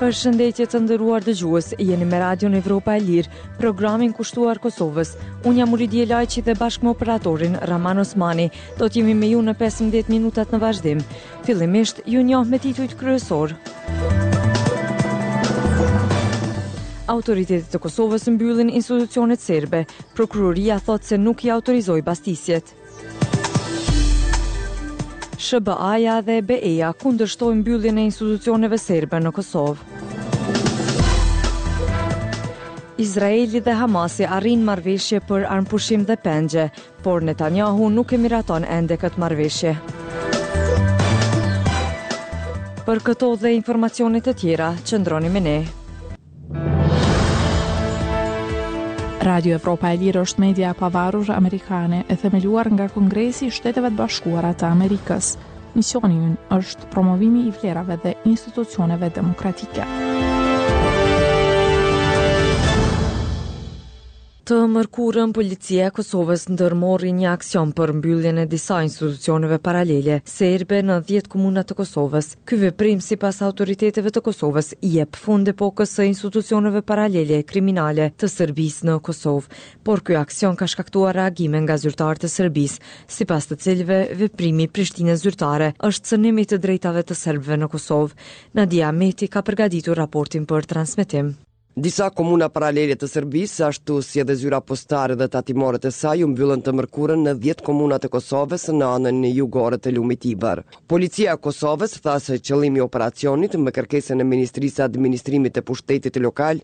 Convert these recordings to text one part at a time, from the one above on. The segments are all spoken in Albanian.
Përshëndetje të nderuar dëgjues, jeni me Radion Evropa e Lirë, programin kushtuar Kosovës. Unë jam Uridije Lajçi dhe bashkë me operatorin Raman Osmani, do të jemi me ju në 15 minutat në vazhdim. Fillimisht, ju njoh me titujt kryesorë. Autoritetet e Kosovës mbyllin institucionet serbe, prokuroria thotë se nuk i autorizoi bastisjet. SHBA-ja dhe BE-ja kundërshtojnë mbylljen e institucioneve serbe në Kosovë. Izraeli dhe Hamasi arrijnë marrëveshje për armëpushim dhe pengje, por Netanyahu nuk e miraton ende këtë marrëveshje. Për këto dhe informacione të tjera, qëndroni me ne. Radio Evropa e Lirë është media e pavarur amerikane e themeluar nga Kongresi i Shteteve të Bashkuara të Amerikës. Misioni ynë është promovimi i vlerave dhe institucioneve demokratike. Të mërkurën, Policia e Kosovës ndërmori një aksion për mbylljen e disa institucioneve paralele serbe në 10 komuna të Kosovës. Ky veprim, sipas autoriteteve të Kosovës, i jep fund epokës së institucioneve paralele kriminale të Serbisë në Kosovë. Por ky aksion ka shkaktuar reagime nga zyrtarë të Serbisë, sipas të cilëve veprimi i Prishtinës zyrtare është cënim i të drejtave të serbëve në Kosovë. Nadia Ahmeti ka përgatitur raportin për transmetim. Disa komuna paralele të Serbisë, ashtu si edhe zyra postare dhe tatimore të saj u mbyllën të mërkurën në dhjetë komuna të Kosovës në anën jugore të lumit Ibër. Policia e Kosovës tha se qëllimi i operacionit, me kërkesën e Ministrisë së Administrimit të Pushtetit Lokal,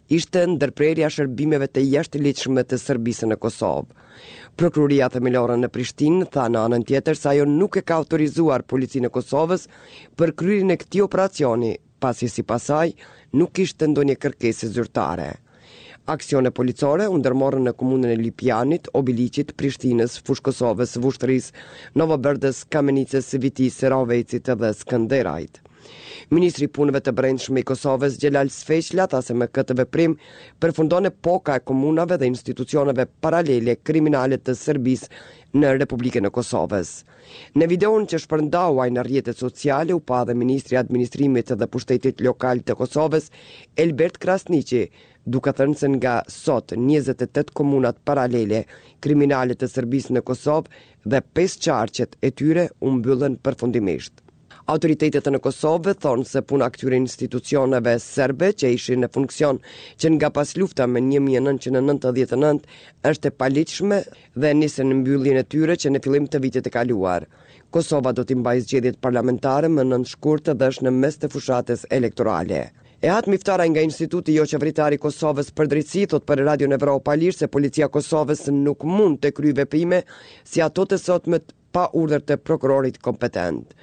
ishte ndërprerja e shërbimeve të jashtëligjshme të Serbisë në Kosovë. Prokuroria Themelore në Prishtinë tha në anën tjetër se ajo nuk e ka autorizuar Policinë e Kosovës për kryerjen e këtij operacioni, pasi sipas saj nuk kishte ndonjë kërkesë zyrtare. Aksione policore u ndërmorën në komunën e Lipjanit, Obiliqit, Prishtinës, Fushë-Kosovës, Vushtrrisë, Novobërdës, Kamenicës, Vitisë, Rahovecit dhe Skënderajt. Ministri i Punëve të Brendshme i Kosovës, Xhelal Sveçla, tha se me këtë veprim përfundon epoka e komunave dhe institucioneve paralele kriminale të Serbisë në Republikën e Kosovës. Në videon që shpërndau ai në rrjetet sociale u pa edhe ministri i Administrimit dhe Pushtetit Lokal të Kosovës, Elbert Krasniqi, duke thënë se nga sot 28 komunat paralele kriminale të Serbisë në Kosovë dhe pesë qarqet e tyre u mbyllën përfundimisht. Autoritetet në Kosovë thonë se puna e këtyre institucioneve serbe që ishin në funksion që nga paslufta më 1999 është e paligjshme dhe nisën mbylljen e tyre që në fillim të vitit të kaluar. Kosova do t'i mbajë zgjedhjet parlamentare më 9 shkurt dhe është në mes të fushatës elektorale. Ehat Miftaraj nga Instituti Joqeveritar i Kosovës për Drejtësi thotë për Radion Evropa e Lirë se Policia e Kosovës nuk mund të kryejë veprime si ato të sotmet pa urdhër të prokurorit kompetent.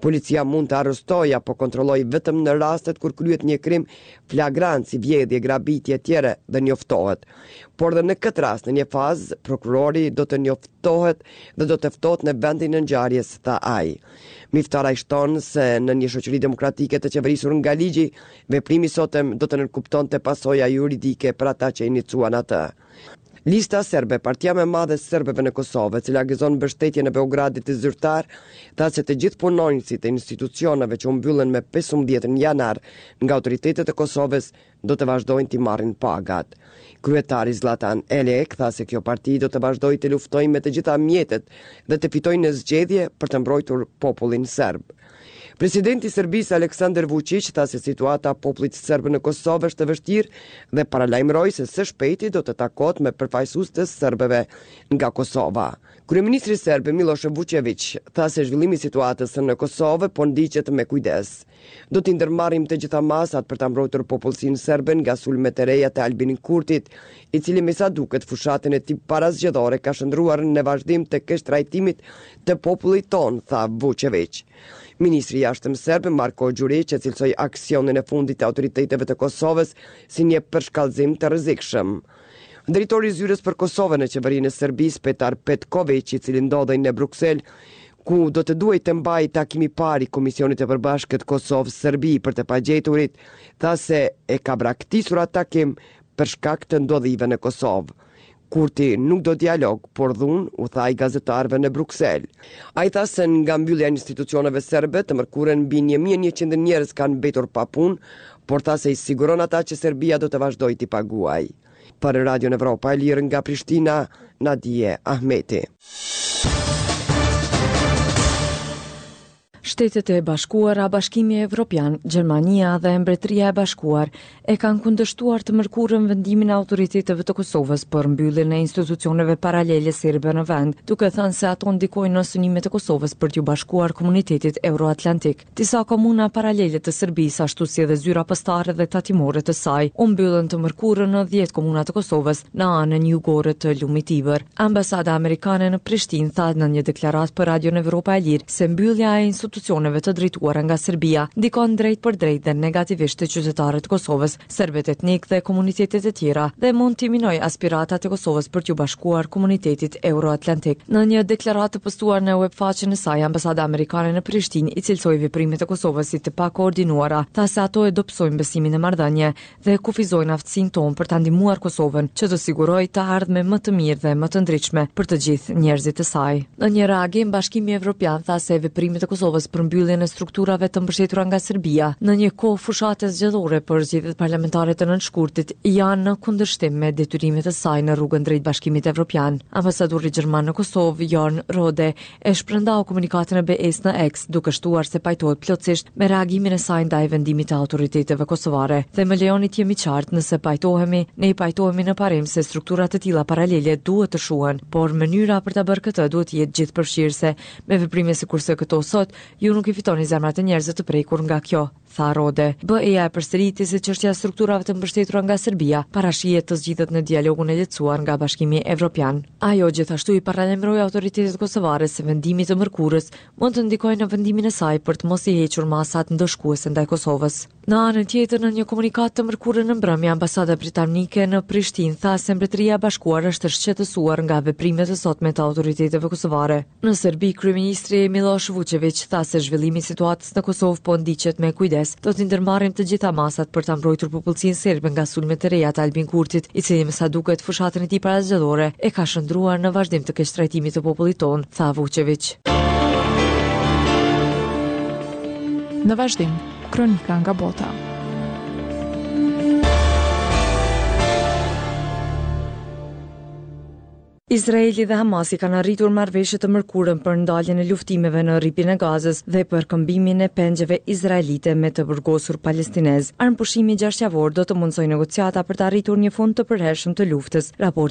Policia mund të arrestojë apo kontrollojë vetëm në rastet kur kryhet një krim flagrant si vjedhje, grabitje etj dhe njoftohet. Por dhe në këtë rast në një fazë prokurori do të njoftohet dhe do të ftohet në vendin e ngjarjes, tha ai. Miftaraj shton se në një shoqëri demokratike të qeverisur nga ligji, veprimi i sotëm do të nënkuptonte pasoja juridike për ata që iniciuan atë. Lista Serbe, partia më e madhe e serbëve në Kosovë, e cila gëzon mbështetjen e Beogradit zyrtar, tha se të gjithë punonjësit e institucioneve që u mbyllën me 15 janar nga autoritetet e Kosovës do të vazhdojnë t'i marrin pagat. Kryetari Zllatan Elek tha se kjo parti do të vazhdojë të luftojë me të gjitha mjetet dhe të fitojë në zgjedhje për të mbrojtur popullin serb. Presidenti i Serbisë Aleksandar Vuçiq tha se situata e popullit serb në Kosovë është e vështirë dhe paralajmëroi se së shpejti do të takohet me përfaqësues të serbëve nga Kosova. Kryeministri serb Millosh Vuçeviq tha se zhvillimi i situatës në Kosovë po ndiqet me kujdes. Do t'i ndërmarrim të gjitha masat për ta mbrojtur popullsinë serbe nga sulmet e reja të Albin Kurtit, i cili me sa duket fushatën e tij parazgjedhore ka shndërruar në vazhdim të keqtrajtimit të popullit tonë, tha Vuçeviq. Ministri i Jashtëm serb, Marko Gjuriq, e cilësoi aksionin e fundit të autoriteteve të Kosovës si një përshkallëzim të rrezikshëm. Drejtori i Zyrës për Kosovën në Qeverinë e Serbisë, Petar Petkoviq, i cili ndodhej në Bruksel, ku do të duhej të mbahej takimi i parë i Komisionit të Përbashkët Kosovë-Serbi për të pagjeturit, tha se e ka braktisur atë takim për shkak të ndodhive në Kosovë. Kurti nuk do dialog, por dhunë, u tha ai gazetarëve në Bruksel. Ai tha se nga mbyllja e institucioneve serbe, të mërkurën mbi 1100 njerëz kanë mbetur pa punë, por tha se i siguron ata që Serbia do të vazhdojë t'i paguajë. Për Radion Evropa e Lirë nga Prishtina, Nadije Ahmeti. Shtetet e Bashkuara, Bashkimi Evropian, Gjermania dhe Mbretëria e Bashkuar e kanë kundërshtuar të mërkurën vendimin e autoriteteve të Kosovës për mbylljen e institucioneve paralele serbe në vend, duke thënë se ato ndikojnë në synimet e Kosovës për t'iu bashkuar komunitetit euroatlantik. Disa komuna paralele të Serbisë, ashtu si edhe zyra postare dhe tatimore të saj, u mbyllën të mërkurën në 10 komuna të Kosovës, në anën jugore të lumit Ibër. Ambasada amerikane në Prishtinë tha në një deklaratë për Radion Evropa e Lirë se mbyllja e institucioneve të drejtuara nga Serbia ndikon drejtpërdrejt dhe negativisht te qytetarët e Kosovës, serbët etnikë dhe komunitetet e tjera dhe mund t'i minojë aspiratat e Kosovës për t'iu bashkuar komunitetit euroatlantik. Në një deklaratë të postuar në uebfaqen e saj, ambasada amerikane në Prishtinë i cilësoi veprimet e Kosovës si të pakoordinuara, tha se ato e dobësojnë besimin në marrëdhënie dhe kufizojnë aftësinë tonë për ta ndihmuar Kosovën që të sigurojë të ardhme më të mirë dhe më të ndritshme për të gjithë njerëzit e saj. Në një reagim, Bashkimi Evropian tha se veprimet e Kosovës për mbylljen e strukturave të mbështetura nga Serbia në një kohë fushate zgjedhore për zgjedhjet parlamentare të nëntë shkurtit janë në kundërshtim me detyrimet e saj në rrugën drejt Bashkimit Evropian. Ambasadori gjerman në Kosovë, Jorn Rohde, e shpërndau komunikatën e BE-së në X, duke shtuar se pajtohet plotësisht me reagimin e saj ndaj vendimit të autoriteteve kosovare. Dhe më lejoni të jem i qartë, nëse pajtohemi, ne pajtohemi në parim se struktura të tilla paralele duhet të shuhen, por mënyra për ta bërë këtë duhet të jetë gjithëpërfshirëse. Me veprime sikurse këto sot, ju nuk i fitoni zemrat e njerëzve të prekur nga kjo. tha Rohde. BE-ja e përsëriti se çështja e strukturave të mbështetura nga Serbia parashihet të zgjidhet në dialogun e lehtësuar nga Bashkimi Evropian. Ajo gjithashtu i paralajmëroi autoritetet kosovare se vendimi i të mërkurës mund të ndikojë në vendimin e saj për të mos i hequr masat ndëshkuese ndaj Kosovës. Në anën tjetër, në një komunikatë të mërkurën në mbrëmje, ambasada britanike në Prishtinë tha se Mbretëria e Bashkuar është e shqetësuar nga veprimet e sotme të autoriteteve kosovare. Në Serbi, kryeministri Millosh Vuçeviq tha se zhvillimi i situatës në Kosovë po ndiqet me kujdes. Do t'i ndërmarrim të gjitha masat për ta mbrojtur popullsinë serbe nga sulmet e reja të Albin Kurtit, i cili me sa duket fushatën e tij parazgjedhore e ka shndërruar në vazhdim të keqtrajtimit të popullit tonë, tha Vuçeviq. Në vazhdim, kronika nga bota. Izraeli dhe Hamasi kanë arritur marrëveshje të mërkurën për ndaljen e luftimeve në Rripin e Gazës dhe për këmbimin e pengjeve izraelite me të burgosur palestinezë. Armëpushimi gjashtëjavor do të mundësojë negociata për të arritur një fund të përhershëm të luftës.